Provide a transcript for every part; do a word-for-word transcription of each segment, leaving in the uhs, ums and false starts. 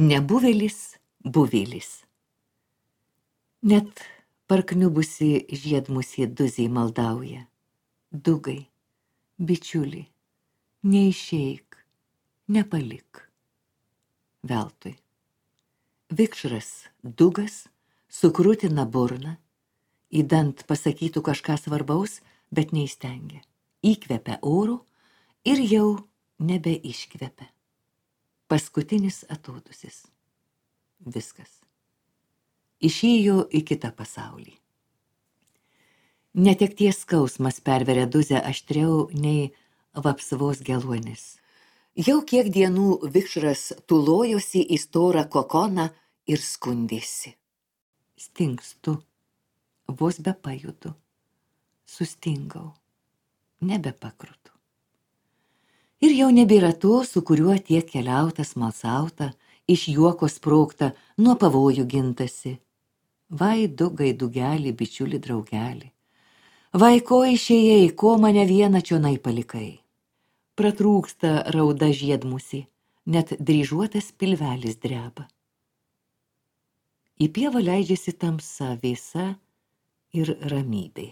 Nebuvėlis, buvėlis. Net parkniubusi žiedmusį Duzį maldauja. Dugai, bičiuli, neišeik, nepalik. Veltui. Vikšras Dugas sukrutina burną, įdant pasakytų kažką svarbaus, bet neįstengia. Įkvepia oro ir jau nebeiškvepia. Paskutinis atodūsis. Viskas. Išėjo į kitą pasaulį. Netekties skausmas perveria Duzę aštriau nei vapsvos geluonis. Jau kiek dienų vikšras tulojosi į storą kokoną ir skundėsi. Stingstu, vos be pajudu, sustingau, nebepakrutu. Ir jau nebėra to, su kuriuo tiek keliauta, smalsauta, iš juoko sprogta, nuo pavojų gintasi. Vai Dugai, Dugelį, bičiuli, draugelį. Vai ko išėjai, ko mane vieną čionai palikai. Pratrūksta rauda žiedmusį, net dryžuotas pilvelis dreba. Į pievą leidžiasi tamsa, vėsa ir ramybė.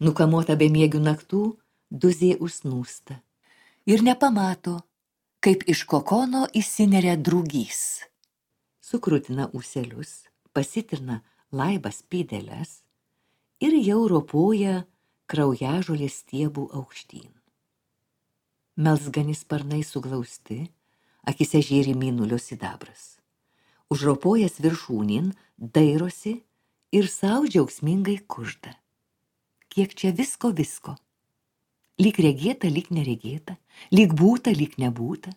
Nukamota bemiegių naktų, Duzė užsnūsta ir nepamato, kaip iš kokono įsineria drugys. Sukrutina ūselius, pasitrina laibas pėdeles ir jau ropoja kraujažolės stiebų aukštyn. Melsgani sparnai suglausti, akise žėri mėnulio sidabras. Užropojęs viršūnin, dairosi ir sau džiaugsmingai kužda. Kiek čia visko visko. Lyg regėta, lyg neregėta, lyg būta, lyg nebūta.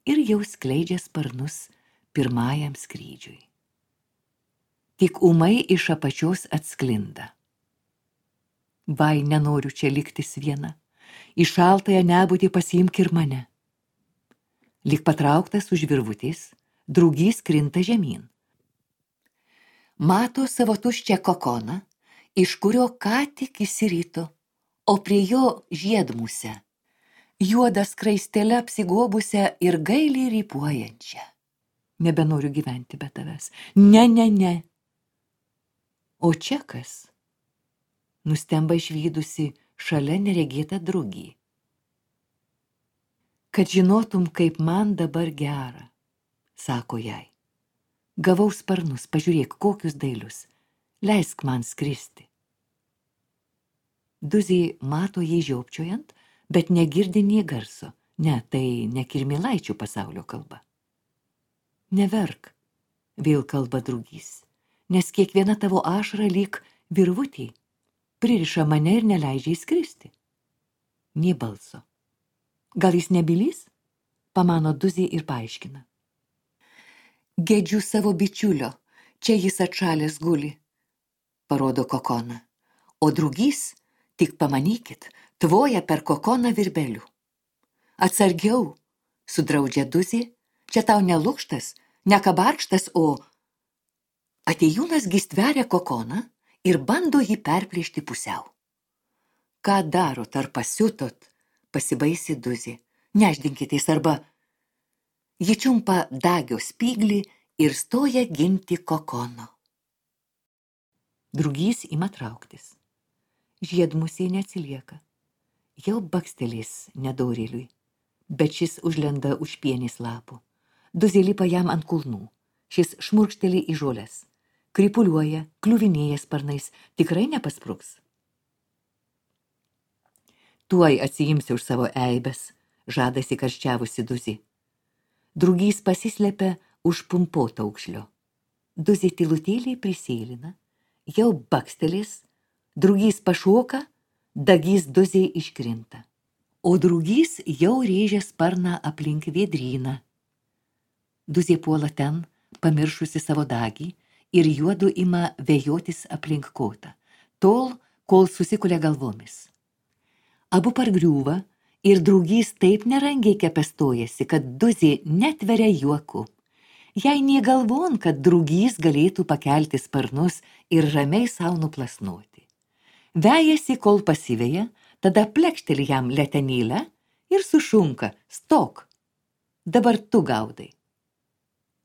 Ir jau skleidžia sparnus pirmajam skrydžiui. Tik ūmai iš apačios atsklinda. Vai, nenoriu čia liktis viena, į šaltąją nebūtį pasiimk ir mane. Lyg patrauktas už virvutės, drugys krinta žemyn. Mato savo tuščią kokoną, iš kurio ką tik įsirito, o prie jo žiedmusę, juodą skraistelę apsigobusią ir gailiai rypuojančią. Nebenoriu gyventi be tavęs. Ne, ne, ne. O čia kas? Nustemba išvydusi šalia neregėtą drugį. Kad žinotum, kaip man dabar gera, sako jai. Gavau sparnus, pažiūrėk, kokius dailius. Leisk man skristi. Duzė mato jį žiopčiojant, bet negirdi nė garso. Ne, tai ne kirmėlaičių pasaulio kalba. Neverk, vėl kalba drugys, nes kiekviena tavo ašara lyg virvutį, pririša mane ir neleidžia įskristi. Nė balso. Gal jis nebylys? Pamano Duzė ir paaiškina. Gedžiu savo bičiulio, čia jis atšalęs guli, parodo kokoną. O drugys, tik pamanykit, tvoja per kokoną virbelių. Atsargiau, sudraudžia Duzė, čia tau ne lukštas, ne kabarkštas, o atėjūnas gi stveria kokoną ir bando jį perplėšti pusiau. Ką darot, ar pasiutot, pasibaisi Duzė, neždinkitės arba... Ji čiumpa dagio spyglį ir stoja ginti kokono. Drugys ima trauktis. Žiedmusė neatsilieka. Jau bakstelės nedorėliui, bet šis užlenda už pienės lapų. Duzė lipa jam ant kulnų. Šis šmurkšteli į žoles. Kripuliuoja, kliuvinėja sparnais, tikrai nepaspruks. Tuoj atsiimsi už savo eibes, žadasi karščiavusi Duzė. Drugys pasislepia už pumpoto aukšlio. Duzė tylutėliai prisėlina, jau bakstelės, drugys pašoka, dagys Duzė iškrinta. O drugys jau rėžia sparną aplink vėdryną. Duzė puola ten, pamiršusi savo dagį, ir juodu ima vejotis aplink kotą, tol, kol susikulia galvomis. Abu pargriūva ir drugys taip nerangiai kepestojasi, kad Duzė netveria juoku. Jai nė galvon, kad drugys galėtų pakelti sparnus ir ramiai sau nuplasnoti. Vejasi, kol pasiveja, tada plekšteli jam letenėlę ir sušunka, stok. dabar tu gaudai.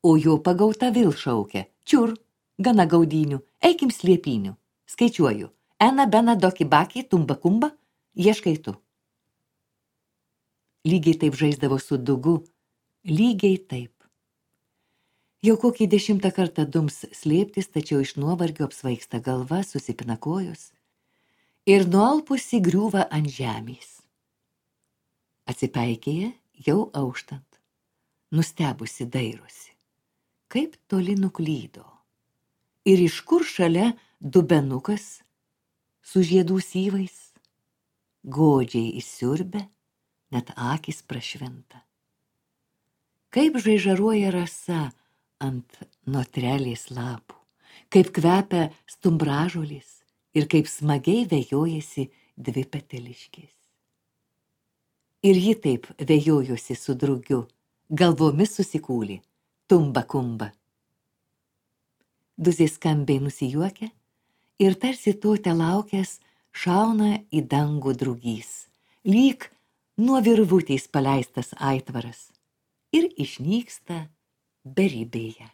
O jo pagauta vėl šaukia, čiur, gana gaudynių, eikim slėpynių, skaičiuoju, ena, bena, doki, baki, tumba, kumba, ieškai tu. Lygiai taip žaisdavo su dugu, lygiai taip. Jau kokį dešimtą kartą dums slėptis, tačiau iš nuovargio apsvaigsta galva, susipina kojos ir nualpusi griūva ant žemės. Atsipeikėja jau auštant, nustebusi dairosi, kaip toli nuklydo. Ir iš kur šalia dubenukas su žiedų syvais, godžiai įsiurbia, net akys prašvinta. Kaip žaižaruoja rasa ant notrelės lapų, kaip kvepia stumbražolės ir kaip smagiai vejojasi dvi peteliškės. Ir ji taip vejojosi su drugiu, galvomis susikūlė, tumba kumba. Duzė skambiai nusijuokia ir tarsi to telaukęs šauna į dangų drugys, lyg nuo virvutės paleistas aitvaras ir išnyksta beribėje.